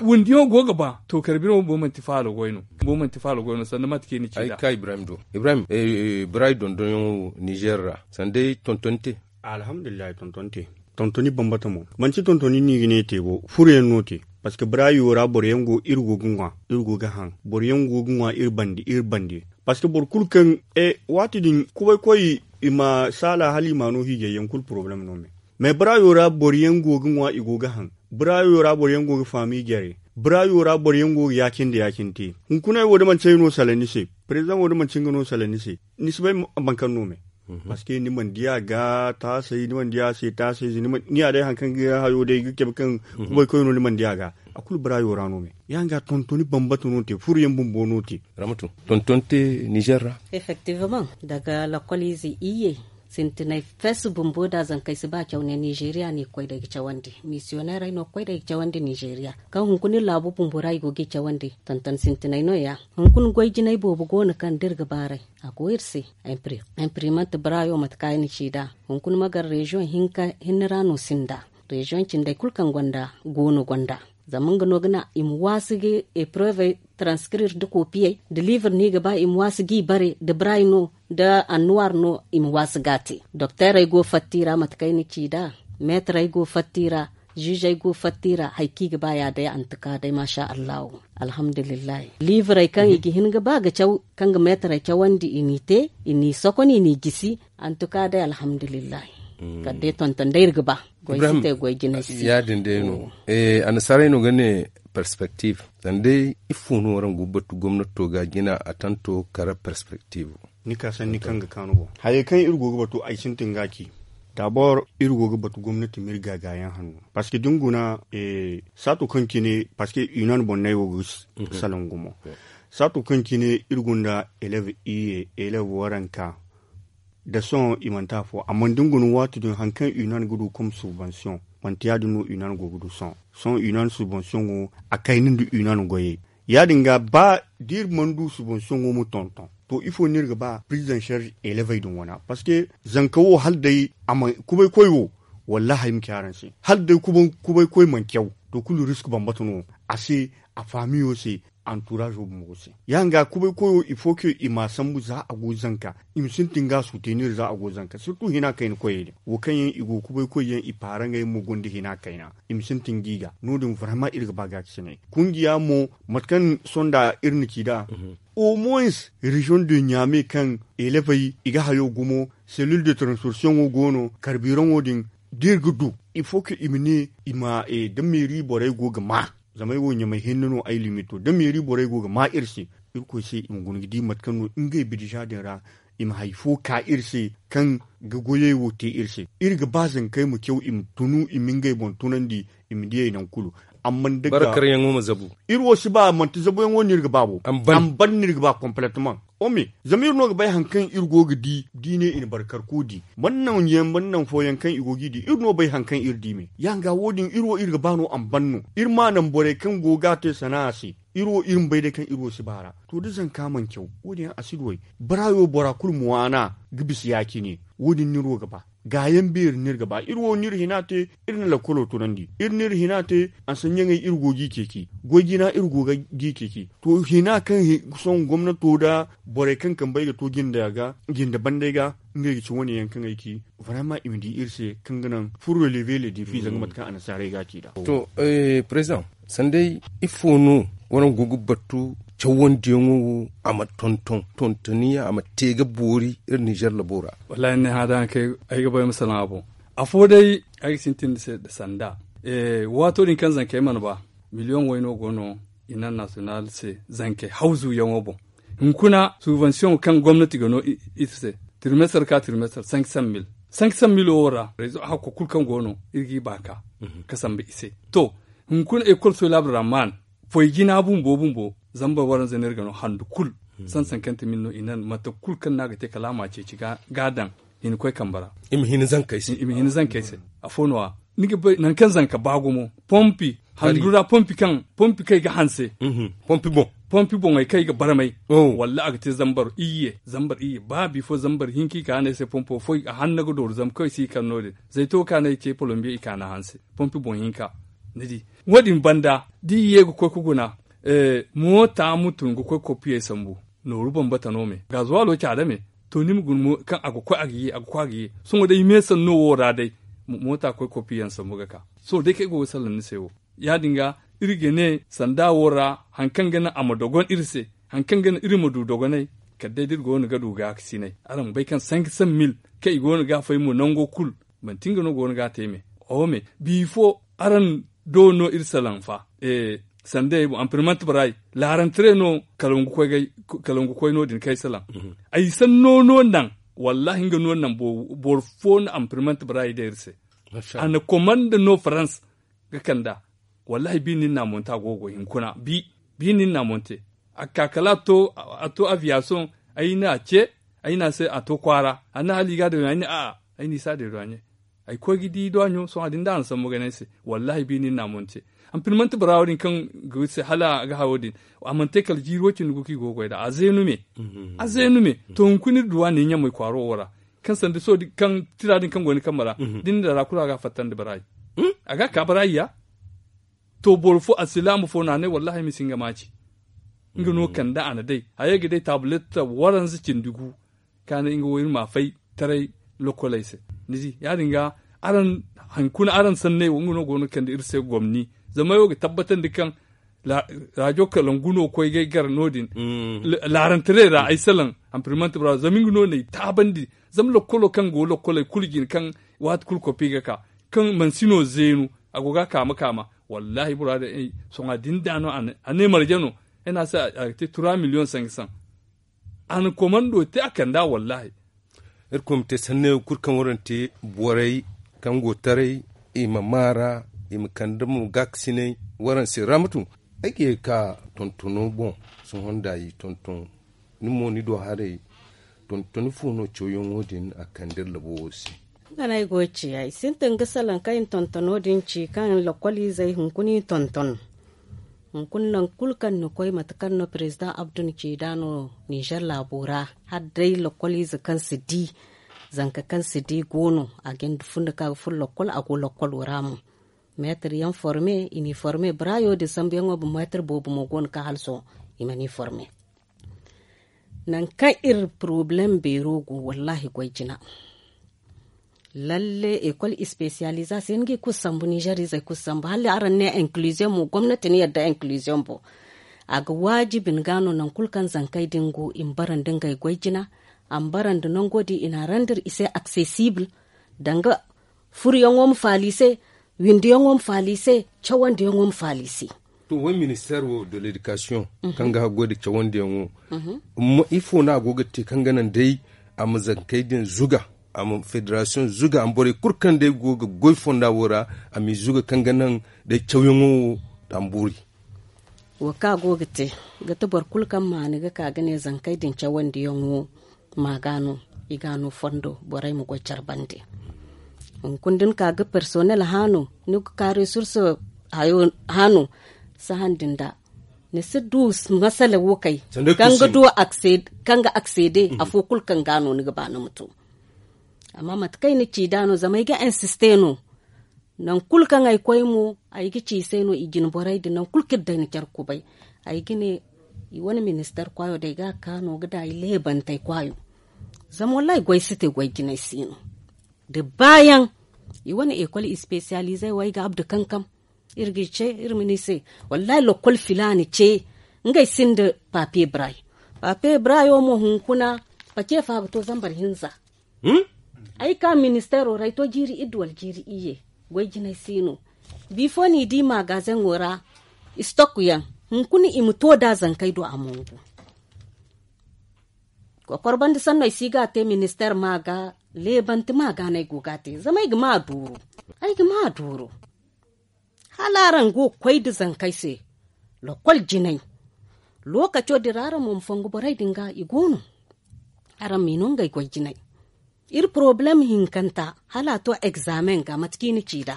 windiyaŋo go ga ba to karbiraŋo bo manti faalo goy no. Bo manti faalo goy no sanda mate kaŋ i na ci nd'a. Ay ka ibrahim do ibrahim barayi dondonyaŋo nizer ra sanda ay tontoni te. Alhamdulillahi tontoni te. Tontoni bambata mo manti tontoni no i ga ne i te bo furoyaŋ no te. Parceque barayo ra boro yaŋ go iri go ga ŋwa iri go ga haŋ boro yaŋ go ga ŋwa iri bande iri bande. Parceque boro kulu kaŋ waati din kubay koy i ma saala hala i ma no hiijay yaŋ kulu poroblem no me. Mais barayo ra boro yaŋ go ga ŋwa i go ga haŋ barayo ra boro yaŋ go ga faami jare barayo ra boro yaŋ go ga ya- cine nda ya- cine te. Hunkuna ay wo da manti ay no salaŋ ni se prezidaŋ wo da manti nga no salaŋ ni se ni si bay boro kaŋ no me. Parceque ni mana di a ga taasay ni mana di a se taasay ni ya day hari kaŋ ga hayo day ga cabe kaŋ kubay koy no ni mana di a ga. A kulu barayo ra no me ya- din ga tontoni bambata no te furo yaŋ bumbo no te. Ramatu tontoni te nizer ra. Effectivement daga lakkol ize iyye sintinay fes bumbo da zankey si ba caw ne nizeeriya no i ga koy day ga cawandi misiyoneerey no ga koy day ga cawandi nizeeriya. Kaŋ hunkuna iri laabu bumbo ra i go ga i cawandi tonton sintinay no- ya. Hunkuna goy jinay boobo go no kaŋ da iri ga baaray a go iri se. Imprimante barayo mate kaŋ ay na ci nd'a hunkuna magar reziyoŋ hinne ra no sinda reziyoŋ cindey kulu kaŋ gonda go no gonda. Zama nga no ga naŋ i ma waasi ga epreuve transkrir nda kopiyey nda livre no i ga ba i ma waasi ga i bare nda barayi no nda annuwaar no i ma waasi ga a te. Dokteerey go fatta i ra mate kaŋ ay na ci nd'a meetarey go fatta i ra. Ziizey go fatta i ra hari kaŋ i ga ba ya day antuka day maasa allahu. Alhamdulillahi liivrey kaŋ i ga hin ga ba ga caw kaŋ ga meetarey cawandi i n'i te i n'i sokon i n'i gisi. Antuka day alhamdulillahi kala day tonton day iri ga ba. Goy si te goy jinay si ya- din day no. Annasaarey no ga ne perspektif zama day ifo no waraŋ go ga batu gomnato ga jina a tanto kara perspektif. Ni ka sanni kaŋ ga kaanu boŋ hayey kaŋ iri go ga batu ay sintin ga a ci. Dabor iri go ga batu gomnati ma iri gaagaayaŋ hanno parceque da ni guna saato kaŋ cine parceque union boŋ no ay wo ga salaŋ gumo. Saato kaŋ cine iri gonda elev iyye elev waranka da sohõ i manti afo amma da ni guna waati din hari kaŋ union ga du comme subvention manti ya- din no union go ga du sohõ. Sohõ union subvention wo a kayna nda union goyey ya- din ga ba da iri mana du subvention wo ma tonton to ifo no iri ga ba prise en charge elevey din wana parceque zanka wo hala day a ma kubay koy wo. Wallahi ay ma ci araŋ se hala day kubay koy mana caw to kulu risk bambata no a se a faamiyo se. Anturaazo bumbo se. Ya- din ga kubay koyo il faut que i m'a sambu za a go ga zanka, i ma sintin ga a suutenir za a go ga zanka sirtu hina kayna koyey din wo kaŋ yaŋ i go ga kubay koy yaŋ i paaraŋey mo gonda hina kayna, i ma sintin ga i ga no- din varayma iri ga ba gaakasinay. Kungiya mo, mate kaŋ sonda iri na ci nd'a, au moins reziyoŋ de ɲaame kaŋ elefey i ga hayo gumo, selil de transfursiyoŋo go no karbiraŋo din, da iri ga du, il faut que i ma ne i ma da meeri borey go ga ma. Zama ay wo ɲamay hinne no ay limito da meeri borey go ga ma iri se, irkoy se i ma guna ga di mate kaŋ no ngey bidija din ra, i ma hari fo ka iri se kaŋ ga goyey wo te iri se. Iri ga ba zankey ma caw i ma tunu i ma ngey boŋ tunandi, i ma diyey nangu kulu. Amma da ga iri wo si ba manti zabuyaŋo no iri ga ba bo. Amban no iri ga ba kompletaman. Ome, zama iri no ga bay hari kaŋ iri go ga di da i ne i na barkarko di, man naŋ yaŋ man naŋ fooyaŋ kaŋ i go g'i di iri no bay hari kaŋ iri di me. Ya- din ga wo- din iri wo iri ga ba no amban no. Iri m'a naŋ borey kaŋ go ga a te sana'a se. Iri wo iri ma bay day kaŋ iri wo si ba a ra. To da zanka mana caw, wo- din yaŋ a si duw'ey. Baraayo bora kulu ma waana ga bisa ya- cine. Wo- din no iri wo ga ba. Gaayaŋ beeri no iri ga ba iri wo no iri hina te. Iri na lakkolo tunandi, iri no iri hina te. Ansanyaŋey iri go g'i ceeci, goy jina iri go g'i ceeci. To hina kaŋ sohõ gomnato nda borey kaŋ kambey ga to jinde bandey ga, ngey ga ci wane yaŋ kaŋ ay ci. Varayma i ma di iri se kaŋ ga naŋ furo leve le defi zanga mate kaŋ annasaarey ga a ci nd'a. To, prezidaŋ, sanday ifo no waraŋ go ga battu cawandiyaŋo wo a ma tonton tontoni a ma te ga boori iri nizer labo ra? Wallaahi ni ne hã da haŋ kaŋ ay ga bay ma salaŋ a boŋ. Afo day, ay ga sintin ni se nda sanda. Waato din kaŋ zankey mana ba, miliyoŋ way no go no international se zankey hawzuyaŋo boŋ. Hunkuna subansiyoŋo kaŋ gomnati ga no iri se, tirmestar ka tirmestar sank san mil. Sank san mil wo ra rezo hakko kulu kaŋ go no iri g'i ba ka ga sambu i se. To, hunkuna ekol soy laabu ra maan foy jina bumbo bumbo, zambar waranza no iri ga no handu kulu. San sankante mil no i nan mate kulu kaŋ no a ga te kala a ma a ceeci ga a daŋ. Hina koy kambe ra i ma hina zankey se. Afo no- ya ni ga bay nangu kaŋ zanka ba gumo pompi handu ra pompi kaŋ pompi kaŋ i ga hanse. Pompi boŋey kaŋ i ga barmay walla a ga te zambar iyye zambar iyye ba bifo zambar hinka i ka no ay se pompo fo a hanna ga dooru zama kaŋ i si i kar no- din. Zayto kaŋ no ay ce polombiya i ka no a hanse pompi boŋ hinka. Ni di wo- din banda da i ye ga koy ga guna moota mutum ga koy kopiyey sambu. Nooru bambata no me gazuwalo caada me. To ni ma guna kaŋ a ga koy a ga ye a ga koy a ga ye. Sohõ day meesanno wo ra day moota koy kopiyaŋ sambu ga ka. Sohõ day kaŋ ay go ga salaŋ ni se wo ya- din ga iri ga ne sanda wo ra hari kaŋ ga naŋ a ma dogon iri se, hari kaŋ ga naŋ iri ma du dogonay. Kala day da iri go no ga du gaakasinay araŋ ma bay kaŋ sank san mil kaŋ i go no ga a fay mo nango kulu. Manti nga no go no ga a te me. Oho me bifo araŋ do no iri salaŋ fa. Sanda ay boŋ anpirmante barayi laarantare no kala nga koy no- din kaŋ ay salaŋ. Ay sanno no naŋ. Wallahi nga no naŋ boro fo na anpirmante barayi day iri se. A na komanda no farans ga kand'a. Wallahi bi nin na monte a go ga goy hunkuna bi. Bi nin na monte a ga ka kala a to aviyasoŋ. Ay na ce ay na se a to kwaara a na hala i ga a deedo ɲa ay ne a'a. Ay na i se a deedo ɲa ay koy ga di i do a ɲo sohõ a din da a na sambu ga ne ay se. Wallahi bi nin na monte. Anpirmante barawo din kaŋ ga iri se hala a ga hayo din a mana te kala jiiri wo- cindi gu kaŋ i go ga goy nd'a a zeenu me. A zeenu me. To hunkuna iri duw'a ne ɲamey kwaaro wo ra kaŋ sanda sohõ kaŋ tira din kaŋ go ni kambe ra da ni na dara kulu a ga a fattandi barayi. A ga a ka barayi ya. To boro fo alsilaama fo no a ne wallahi ay ma si nga maaci. Nga no kande a na day hayey ga day taabulet waranza cindi gu. Ka ne nga wo iri ma a fay taray lokoley se. Ni di ya- din ga araŋ hari kuna araŋ sanney wo nga no go no ga kande iri se gomni. Zama ay wo ga tabbatandi kaŋ raajo kalangu no koy ga ay gar no- din. Laarantaray ra ay salaŋ anpirimanti bora zama nga no na ay taabandi. Zama lokolo kaŋ go lokoley kulu jine kaŋ waati kulu kopi ga ka kaŋ mansino zeenu. A go ga a kaama kaama. Wallahi bora din ay sohõ a din da no a ne marje no. Ay ne a se a ga te tura miliyoŋ sanka saŋ. A na komando te a kand'a wallahi. Irkoy ma te sanney wo kulu kaŋ waraŋ te borey kaŋ go taray i ma maara i ma kande mo gaakasinay waraŋ se ramatu. Ay ga ye ga ka tontono boŋ. Sohõ nda i tonton ni mo ni do haray. Tontoni fo no cawyaŋo din a kande iri labo wo se? Nga no ay go ga ci ay sintin ga salaŋ kaŋ i na tontono din ci kaŋ lokoliizey hunkuna i tonton. Hunkuna nangu kulu kaŋ ni koy mate kaŋ no pirezidaŋ abdu na ci nd'a no nizer laabo ra hala day lokoliize kaŋ si di zanka kaŋ si di go no a ga hin da funda kaŋ a ga furo lokol a go lokolo ra mo. Meetir yaŋ forme i n'i forme barayo din sambuyaŋo bumbo meetir boobo mo go no kaŋ hala sohõ i mana i forme. Nangu kaŋ iri porobalem beero go wallaahi goy jina. Lalle ekol ispesiyaliza se ni ga i kulu sambu ninzeer izey kulu sambu hala araŋ ne inkiliziyoŋ mo gomnati ni yadda inkiliziyoŋ boŋ. A ga waajibi ni ga no nangu kulu kaŋ zankey din go i ma bara nda ngey goy jina. A ma bara nda nango din i n'a randir i se aksesibil danga furuyaŋo ma faala i se, windiyaŋo ma faala i se, cawandiyaŋo ma faala i se. To wai ministeer wo de ledikasiyoŋ kaŋ ga haggoy nda cawandiyaŋo ifo no a go ga te kaŋ ga naŋ day a ma zankey din zuga, a ma federasiyoŋ zuga a ma borey kulu kaŋ day go ga goy fonda wo ra a m'i zuga kaŋ ga naŋ day cawyaŋo wo? Tambuuri. Wo kaŋ a go ga te ga ti boro kulu kaŋ maani ga ka ga ne zankey din cawandiyaŋo ma ga no i ga no fondo borey ma goy care bande. Hunkuna da ni ka ga personnel haano ni ga ka resurse haano sahandi nda ni si du masala wo kay kaŋ ga du kaŋ ga aksede afo kulu kaŋ ga no ni ga ba ni ma to. Amma mate kaŋ ay na ci nd'a no zama ay ga insiste no. Nangu kulu kaŋ ay koy mo ay ga ci i se no i jine borey din nangu kulu kaŋ iri day na care kubay. Ay ga ne i wane ministeer kwaayo day ga a ka no ga daŋ ay leebantey kwaayo. Zama wallaahi goy si te goy jinay si no. Da baayaŋ i wane ekol ispesiyalizey wo ay ga abdu kankam. Iri ga i ce iri ma ne i se wallaahi lokol filaani ce ngey sinda papiye baraay. Papiye baraayo mo hunkuna pace fa ga to zambar hinza. Ay ka ministeero ra ay to jiiri iddu wala jiiri iyye. Goy jinay si no. Bifo no i di magazeŋo ra istok yaŋ hunkuna i ma to da zankey do a mongu. Kokor banda sanno ay si ga a te ministeer ma ga leebanti ma ga no ay go ga a te zama ay ga ma a duuru. Ay ga ma a duuru. Hala araŋ go ga koy nda zankey se lokol jinay. Lookaco din ra araŋ mo ma fongu borey din ga i go no. Araŋ m'i no ngey goy jinay. Iri porobalem hinkanta hala a to egzaameŋ ga mate kaŋ i na ci nd'a.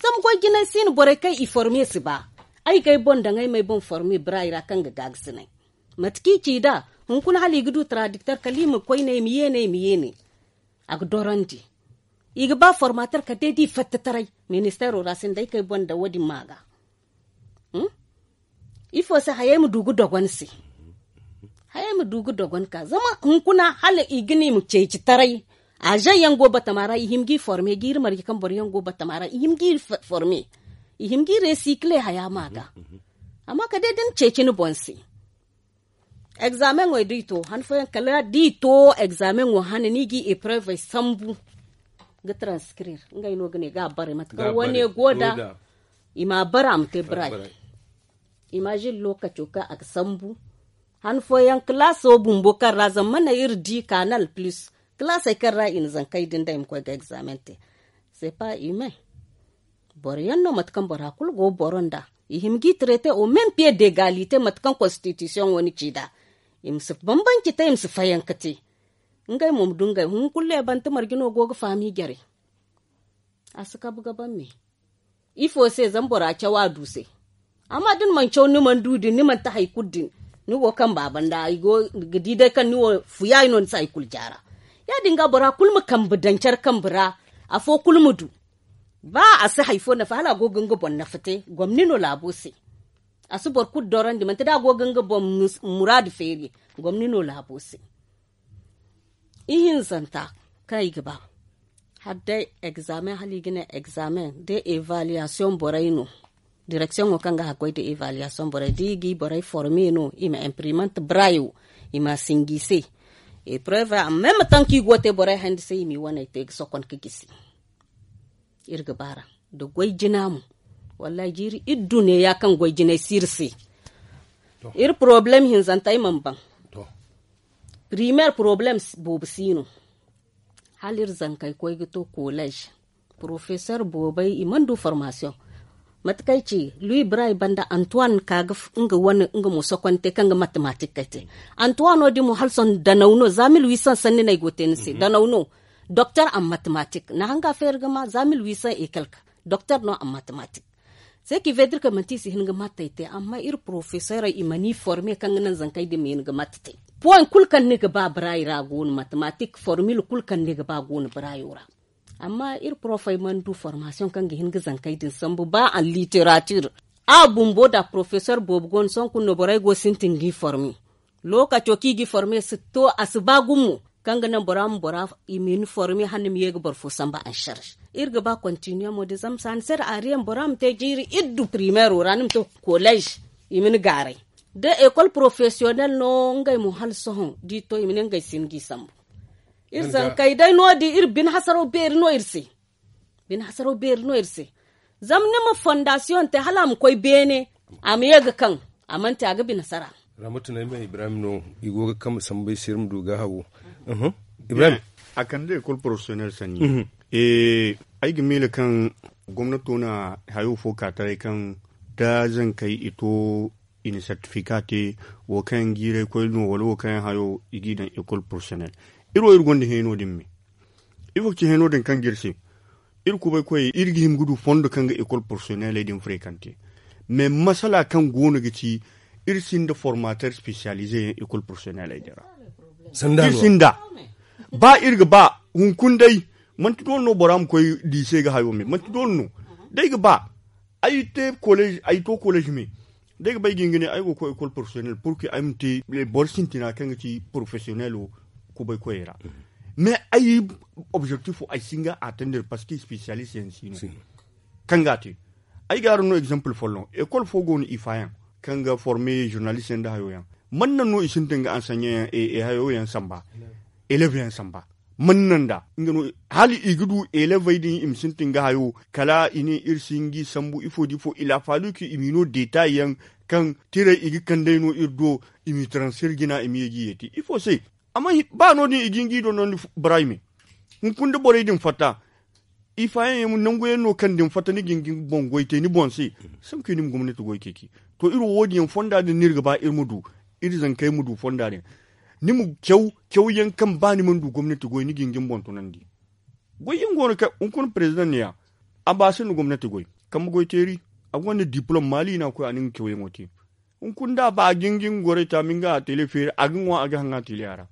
Zama goy jinay si no borey kaŋ i forme si ba. Ay ga ay boŋ daŋ ay ma ay boŋ forme baraay ra kaŋ ga gaagasinay. Mate kaŋ i ci nd'a hunkuna hala i ga du taradikter kala i ma koy ne i ma ye ne i ma ye ne. A ga dorandi. I ga ba formater kala day da i fatta taray. Ministeero ra sinda ay kay boŋ da wo- din ma ga. Ifo se hayey ma du ga dogon se. Hayey ma du ga dogon ka zama hunkuna hala i ga ne i ma ceeci taray. Azeŋ yaŋ go batama ra i hima ga i forme ga iri marje kaŋ boro yaŋ go batama ra i hima ga iri forme. I hima ga iri resikile haya ma ga. Amma kala day da ni ceeci ni boŋ se. Egzaameŋey da i to han fooyaŋ kala da i to egzaameŋo hane ni ga i eprevey sambu ga taranskirir ngey no ga ne ga a bare mate kaŋ wane go nd'a. I ma a bare a ma te baraay. Imazin lookaco kaŋ a ga sambu han fooyaŋ kalaaso bumbo kaŋ ra zama mana iri di kanal plus kalaasey kaŋ ra i na zankey din da i ma koy ga egzaameŋ te. C'est pas humain. Boro yaŋ no mate kaŋ bora kulu go boro nd'a. I hima g'i traite au même pied d'egalite mate kaŋ konstitisiyoŋo ni ci nd'a. I ma si bambanci te i ma si fayanka te. Ngey mo ma du ngey hunkuna leebante marje no go ga faami jare. A si kabu ga ban me. Ifo se zama bora caw a du se. Amma da ni mana caw ni mana du din ni mana te hari kulu din. Ni go kaŋ baaba nda i go ga di day kaŋ ni wo fuyaay no ni si hari kulu jaara. Ya- din ga bora kulu ma kambe daŋ care kambe ra. Afo kulu ma du. Ba a si hari fo nafa hala a go ga nga boŋ nafa te gomni no laabo se. A si boro kulu dorandi manti da a go ga nga boŋ muraadu feeri. Gomni no laabo se. Ihinzanta kaŋ i ga ba hala day egzaameŋ hala i ga ne egzaameŋ da evaluwaasiyoŋ borey no. Direksiyoŋo kaŋ ga haggoy da evaluwaasiyoŋ borey da i ga i borey forme no i ma impirimante barayo. I ma a sinji i se. Epreve a meme taŋ kaŋ i go ga te borey hayandi se i m'i waney te ga sokon ga gisi. Iri ga baara nda goy jina mo. Wallahi jiiri iri du neeya kaŋ goy jinay si iri se. Iri porobalem hinzanta ay mana baŋ. Primeer porobalem boobo si no. Hala iri zankey koy ga to koleez. Porofeseer boobey i mana du formasiyoŋ. Mate kaŋ ay ci luwi baraay banda antuwan ka ga nga wane nga mo sokonte kaŋ ga matematik kay te. Antuwano din mo hala sohõ danaw no za mil wiisaŋ sanni no ay go ga te ni se danaw no. Doktor an matematik na hanga feeri ga ma za mil wiisaŋ e kalka. Doktor no an matematik. Se ki vedir ka manti i si hin ga mattey te amma iri porofeserey i mana i forme kaŋ ga naŋ zankey din ma hin ga matte te. Poy kulu kaŋ ni ga ba baraay ra go no matematik formil kulu kaŋ ni ga ba go no baraayo ra. Amma iri porofey mana du formasiyoŋ kaŋ ga hin ga zankey din sambu ba an literatir. A bumbo da porofesor boobo go no sohõ kulu no borey go ga sintin g'i forme. Lookaco kaŋ i g'i forme si to a si ba gumo kaŋ ga naŋ bora ma bora i ma hin forme hala ni ma ye ga boro fo sambu ansarz. Iri ga ba kontiniyaŋo din zama saani se da ariyaŋ bora ma te jiiri iddu pirimeero ra ni ma to kolez i ma ni gaaray. Da ekol porofesiyonel no ngey mo hala sohõ da i to i ma ne ngey si hin g'i sambu. Iri zankey day no- din iri bine hasaraw beeri no iri se. Bine hasaraw beeri no iri se. Zama ni ma fondasiyoŋ te hala a ma koy beene a ma ye ga kaŋ a mana te a ga bine hasara. Ramatu no ay ma ibrahim no. I go ga kambe sambu ay se iri ma du ga hawo. Ibrahim. A kande ekol porofesiyonel sanni. Ay ga miila kaŋ gomnato na hayo fo ka taray kaŋ da zankey i to i na sertifika te wo kaŋ yaŋ jiiray koy no wala wo kaŋ yaŋ hayo i g'i daŋ ekol porofesiyonel. Iri wo iri gonda heno din me. Ifo ga ci heno din kaŋ ga iri se? Iri kubay koyey iri ga hima ga du fondo kaŋ ga ekol porofesiyoneley din frekante. Mais masala kaŋ go no ga ci iri sinda formater spesiyalize yaŋ ekol porofesiyoneley din ra. Iri sinda. Ba iri ga ba hunkuna day manti doole no bora ma koy diise ga hayo me manti doole no. Day ga ba ay te kolej ay to kolej me. Day ga ba ay ga hin ga ne ay go ga koy ekol porofesiyonel purki ay ma te boro sintina kaŋ ga ci porofesiyonelo kubay koyey ra. Mais ay objektifo ay si hin ga a tender parceque spesiyalist yaŋ si no. Kaŋ ga a te ay ga araŋ no egzanpil folloŋ ekol fo go no i faayaŋ kaŋ ga forme zurnalist yaŋ nda hayo yaŋ. Man naŋ no i sintin ga ansanyeyaŋ e hayo yaŋ samba elev yaŋ samba. Man naŋ da nga no hala i ga du elevey din i ma sintin ga hayo kala i ne iri si hin g'i sambu ifo da ifo il a fallu kaŋ i m'i no detay yaŋ kaŋ tiray i ga kand'ey no iri do i m'i transfer jina i ma ye g'i yeeti ifo se? Amma ba no- din i ga hin g'i dondondi barayi me. Hunkuna da borey din fatta i faayaŋ yaŋ nangu yaŋ no kaŋ da ni fatta ni ga hin ga ni boŋ goy te ni boŋ se. Sanku i na ni ma gomnati goy ceeci. To iri wo wo- din yaŋ fonda din no iri ga ba iri ma du iri zankey ma du fonda din. Ni ma caw caw yaŋ kaŋ ba ni mana du gomnati goy ni ga hin ga ni boŋ tunandi. Goy yaŋ go no kaŋ hunkuna perezidaŋ ne ya a ba sinda gomnati goy kambe goy teeri. A gonda dipilom maali no a koy a na nga caw yaŋo te. Hunkuna da a ba a ga hin ga nga gorey taami nga a tele feeri a ga ŋwa a ga haŋ a tele a ra.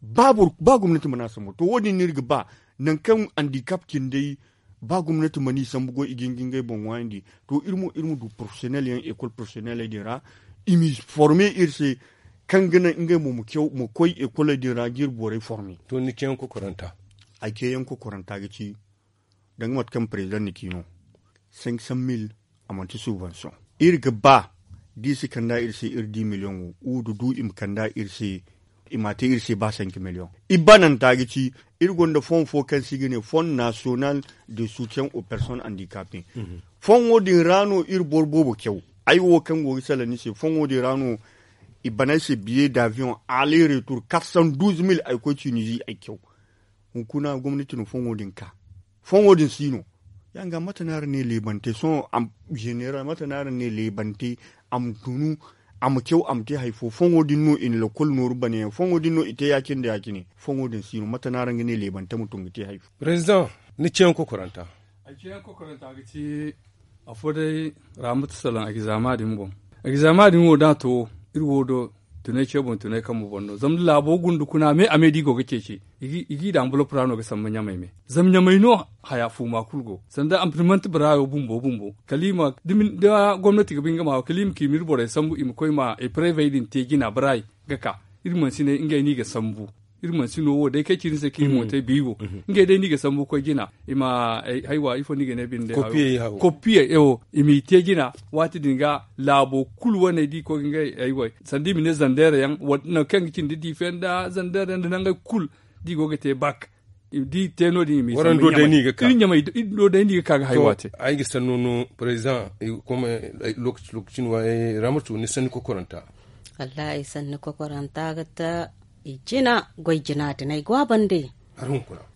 Ba gomnati mana sambu to wo- din no iri ga ba nangu kaŋ andikap cindey ba gomnati mana i sambu goy i ga hin ga ngey boŋ ŋwaayandi. To iri mo iri ma du porofesiyonel yaŋ ekol porofesiyoneley din ra i m'i forme iri se kaŋ ga naŋ ngey mo ma koy ekoley din ra ga iri borey forme. To ni ceeyaŋ kokoranta ay ceeyaŋ kokoranta ga ci danga mate kaŋ perezidaŋ na ci no. Senk san mil a manti subansiyoŋ. Iri ga ba da i si kand'a iri se iri di miliyoŋo wudu du i ma kand'a iri se i m'a te iri se ba senk miliyoŋ. I bananta ga ci iri gonda fon fo kaŋ se i ga ne fon nasiyonal de soutiyen o personne andikape. Fon wo- din ra no iri boro boobo caw. Ay wo kaŋ go ga salaŋ ni se fon wo- din ra no i ban ay se biye daviyoŋ ale retur katsan duuz mil ay koy tinizi ay caw. Hunkuna gomnati na fon wo- din ka fon wo- din si no. Ya nga mate no araŋ ne leebante sohõ a ma jeneral mate no araŋ ne leebante a ma tunu a ma caw a ma te hari fo fon wo- din no i na lakkol nooru bane yaŋ fon wo- din no i te ya- cine nda ya- cine. Fon wo- din si no mate no araŋ ga ne leebante ma tun ga te hari fo? Perezidaŋ ni ceeyaŋ kokoranta. Ay ceeyaŋ kokoranta ga ci afo day raamatu salaŋ egzama din boŋ. Egzama din wo da a to iri wo do tunay ce boŋ tunay kambe boŋ no zama da laabo gunda kuna a me a me da i go ga ceeci. I g'i daŋ bulop ra no ga sambu ɲamay me zama ɲamay no haya fuuma kulu go sanda ampirimante baraayo bumbo bumbo kala i ma da gomnati ga ba nga ma kala i ma ka i ma iri borey sambu i ma koy ma eprevey din te jina baraay ga ka. Iri mansiney ngey no i ga sambu. Iri mansi no wo day kaŋ ay ci ni se kaŋ iri mo te biibo ngey day no i ga sambu koy jina. I ma haywa ifo no i ga ne binde kopiyey ewo i m'i te jina. Waati din ga laabo kulu waney da i koy ga ngey haywa sanda i ma ne zandeera yaŋ nangu kaŋ ga cindi diife nda zandeera yaŋ nda nangey kulu da i go ga te bak da i te no- din i m'i sambu ɲamay. Iri ɲamay do day no i ga ka ga haywa te. Ay ga sanno no president lookaci lookaci no ramatu ni sanni kokoranta. Wallahi ay sanni kokoranta ga ta i jina goy jina din ay go a bande.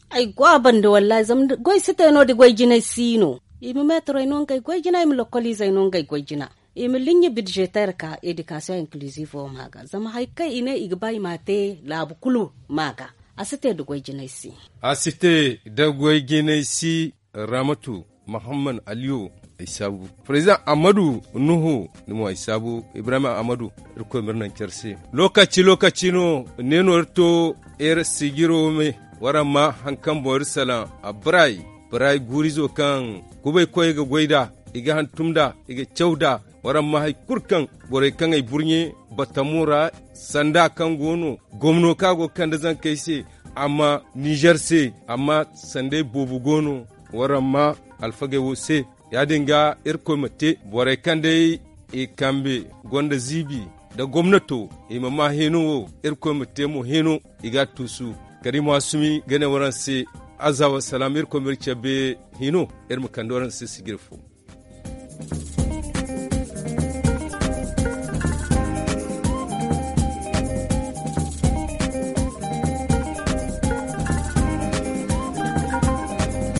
Ay go a bande wallahi zama goy si te no- din goy jinay si no. I ma meetarey no ngey goy jina i ma lokkoliizey no ngey goy jina. I ma liɲɲa bidzeter ka edikasiyoŋ inkiliziivo ma ga zama hari kaŋ i ne i ga ba i m'a te laabu kulu ma ga. A si te nda goy jinay si. A si te nda goy jinay si. Ramatu muhammad aliyu ay saabu president amadu nuhu ni mo ay saabu ibrahim amadu. Irkoy ma iri naŋ care se lookaci lookaci no ne no iri to iri sijiro me. Waraŋ ma hari kaŋ boŋ iri salaŋ a baraay baraay guurizo kaŋ kubaykoyey ga goy nd'a, i ga hantum nd'a, i ga caw nd'a. Waraŋ ma hari kulu kaŋ borey kaŋ ay burɲe batamo ra, sanda kaŋ go no gomno kaŋ a go ga kande zankey se, a ma nizer se, amma sanday boobo go no. Waraŋ ma alfagey wo se. Ya-din ga irkoy ma te borey kaŋ day i kambe gonda ziibi nda gomnato, i ma maa hino wo. Irkoy ma te mo hino i ga a tuusu. Kala i ma a sumi ga ne waraŋ se, aza wasalaam irkoy ma iri cabe hino. Iri ma kande waraŋ se sijiri fo.